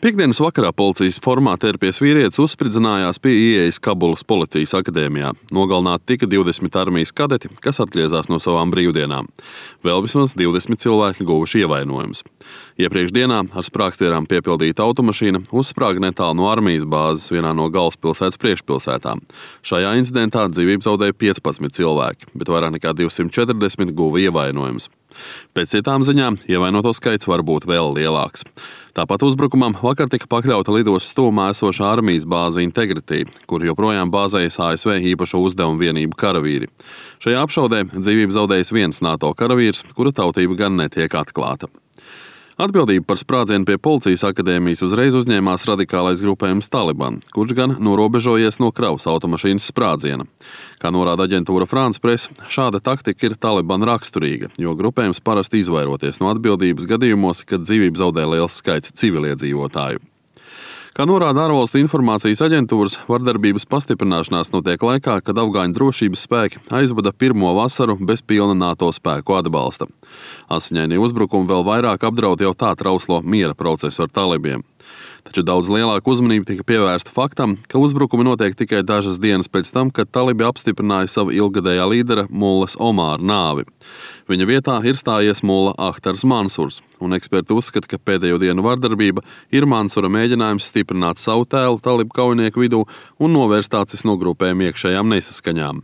Piektdienas vakarā policijas formā tērpies vīrietis uzspridzinājās pie ieejas Kabulas policijas akadēmijā. Nogalināti tika 20 armijas kadeti, kas atgriezās no savām brīvdienām. Vēl vismaz 20 cilvēki guvuši ievainojumus. Iepriekš dienā ar sprāgstvielām piepildīta automašīna uzsprāga netālu no armijas bāzes vienā no galvaspilsētas priekšpilsētām. Šajā incidentā dzīvību zaudēja 15 cilvēki, bet vairāk nekā 240 guva ievainojumus. Pēc citām ziņām ievainoto skaits var būt vēl lielāks. Tāpat uzbrukumam vakar tika pakļauta lidostas tuvumā esošā armijas bāze Integrity, kur joprojām bāzējas ASV īpašo uzdevumu vienību karavīri. Šajā apšaudē dzīvību zaudējis viens NATO karavīrs, kura tautība gan netiek atklāta. Atbildību par sprādzienu pie policijas akadēmijas uzreiz uzņēmās radikālais grupējums Taliban, kurš gan norobežojies no kravas automašīnas sprādziena. Kā norāda aģentūra France Press, šāda taktika ir Taliban raksturīga, jo grupējums parasti izvairoties no atbildības gadījumos, kad dzīvību zaudē liels skaits civiliedzīvotāju. Kā norāda ārvalstu informācijas aģentūras, vardarbības pastiprināšanās notiek laikā, kad afgāņu drošības spēki aizvada pirmo vasaru bez pilna NATO spēku atbalsta. Asiņainie uzbrukumi vēl vairāk apdraud jau tā trauslo miera procesu ar talibiem. Taču daudz lielāka uzmanība tika pievērsta faktam, ka uzbrukumi notiek tikai dažas dienas pēc tam, kad talibi apstiprināja savu ilgadējā līdera Mullas Omāra nāvi. Viņa vietā ir stājies Mulla Ahtars Mansurs, un eksperti uzskata, ka pēdējo dienu vardarbība ir Mansura mēģinājums stiprināt savu tēlu talibu kaujinieku vidū un novērst acis no grupējuma iekšējām nesaskaņām.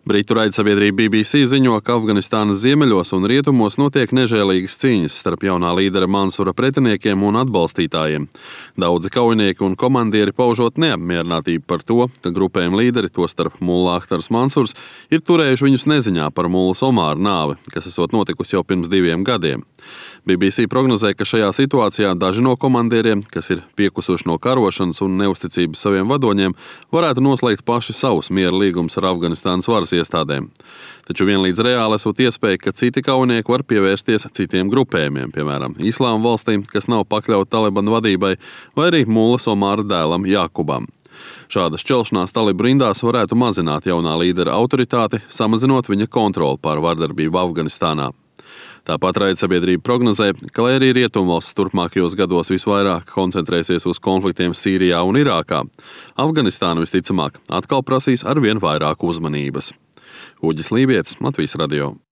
Britu raidsabiedrība BBC ziņo, ka Afganistānas ziemeļos un rietumos notiek nežēlīgas cīņas starp jaunā līdera Mansura pretiniekiem un atbalstītājiem. Daudzi kaujinieki un komandieri paužot neapmierinātību par to, ka grupējuma līderi, tostarp Mulla Ahtars Mansurs, ir turējuši viņus neziņā par Mullas Omāra nāvi, kas esot notikusi jau pirms 2 gadiem. BBC prognozē, ka šajā situācijā daži no komandieriem, kas ir piekusuši no karošanas un neusticības saviem vadoņiem, varētu noslēgt paši savus miera līgumus ar Afganistānas varas iestādēm. Taču vienlīdz reāli esot iespēja, ka citi kaujinieki var pievērsties citiem grupējumiem, piemēram, Islāma valstīm, kas nav pakļauti Talibanu vadībai, vai arī Mullas Omāra dēlam Jākubam. Šāda šķelšanās talibu rindās varētu mazināt jaunā līdera autoritāti, samazinot viņa kontroli pār vardarbību Afganistānā. Tāpat raidsabiedrība prognozē, ka, lai arī rietumvalstis turpmākajos gados visvairāk koncentrēsies uz konfliktiem Sīrijā un Irākā, Afganistāna visticamāk atkal prasīs arvien vairāk uzmanības. Uģis Lībietis, Latvijas radio.